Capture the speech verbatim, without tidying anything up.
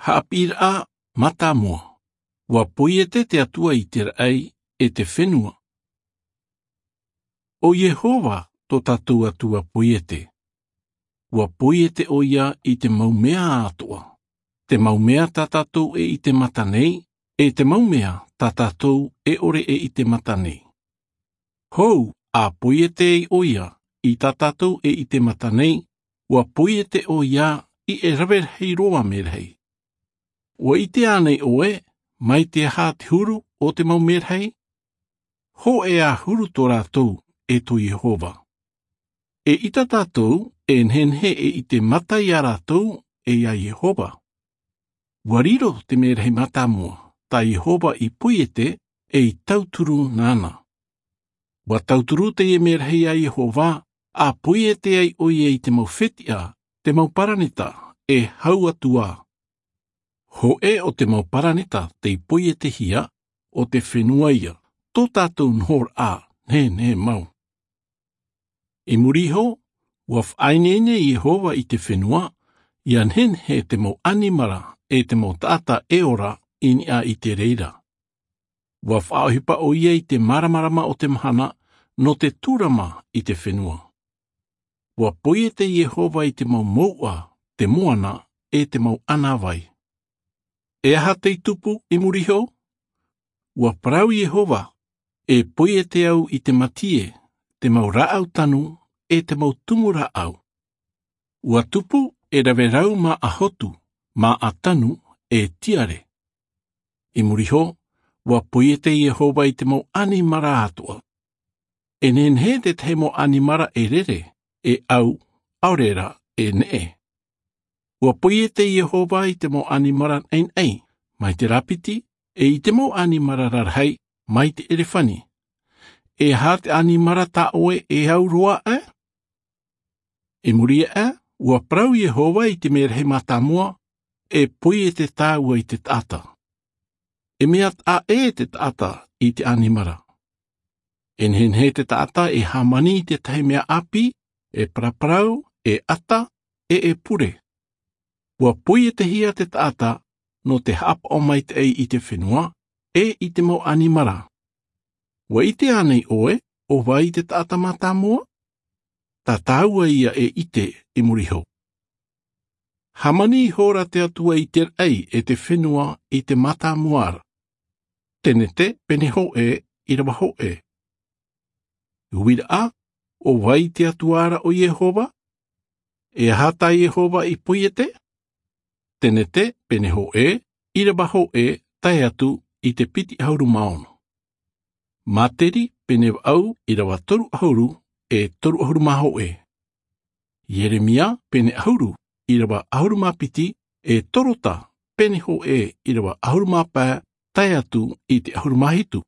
Haʻapiʻiraʻa mātāmua. Ua poiete te Atua i te raʻi e te fenua. ʻO iehova tō tātou Atua poiete. Ua poiete ʻo ia i te mau mea atoʻa, te mau mea tā tātou e ʻite mata nei, e te mau mea tā tātou e ʻore e ʻite mata nei. Hou a poiete ai ʻo ia i tā tātou e ʻite mata nei, ua poiete ʻo ia i e rave rahi roa merahi. Ua ʻite ānei ʻoe mai te aha te huru o te mau merahi? Hōʻē ā huru tō rātou e tō iehova. E ʻita tātou e nehenehe e ʻite mata iā rātou e iā iehova. Ua riro te merahi mātāmua tā iehova i poiete e i tauturu nāna. Ua tauturu teie merahi iā iehova, a poiete ai ʻo ia i te mau fetiʻa, te mau paraneta e hau atu ā. Hōʻē o te mau paraneta tei poietehia o te fenua ia tō tātou nohoraʻa nehenehe mau. I muri iho, ua faʻaineine iehova i te fenua ia nehenehe te mau ʻanimara e te mau taʻata e ora i niʻa i te reira. Ua faʻaʻohipa ʻo ia i te māramarama o te mahana nō te tūrama i te fenua. Ua poiete iehova i te mau mouʻa, te moana e te mau ʻanavai. E aha tei tupu i muri iho? Ua parau iehova, e poiete au i te matie, te mau rāʻau tanu e te mau tumu rāʻau. Ua tupu e rave rau mā ʻahotu, mā ʻatanu e tiare. I muri iho, ua poiete iehova i te mau ʻanimara atoʻa. E nehenehe te tahi mau ʻanimara e rere, e ʻau, ʻaore rā e neʻe. Ua poiete iehova i te mau ʻanimara naʻinaʻi mai te rāpiti, e i te mau ʻanimara rarahi mai te ʻerefani. E aha te ʻanimara tā ʻoe e au roa aʻe? I muri aʻe, ua parau iehova i te merahi mātāmua, e poiete tāua i te taʻata. E mea taʻa ʻē te taʻata i te ʻanimara. E nehenehe te taʻata e hāmani i te tahi mea ʻāpī, e paraparau, e ʻata, e e pure. Ua poietehia te taʻata nō te haʻapaʻo maitaʻi i te fenua e i te mau ʻanimara. Ua ʻite ānei ʻoe ʻo vai te taʻata mātāmua? Tā tāua ia e ʻite i muri iho. Hāmani ihora te Atua i te raʻi e te fenua i te mātāmua ra. Tenete pene hōʻē ʻirava hōʻē. Uiraʻa, ʻo vai te Atua ra ʻo iehova? E aha tā iehova i poiete? Tenete pene hōʻē ʻirava hōʻē tae atu i te piti ʻahuru mā ono. Māteri pene vaʻu ʻirava toru ʻahuru e toru ʻahuru mā hōʻē. Ieremia pene ʻahuru ʻirava ʻahuru mā piti, e torota pene hōʻē ʻirava ʻahuru mā pae tae atu i te ʻahuru mā hitu.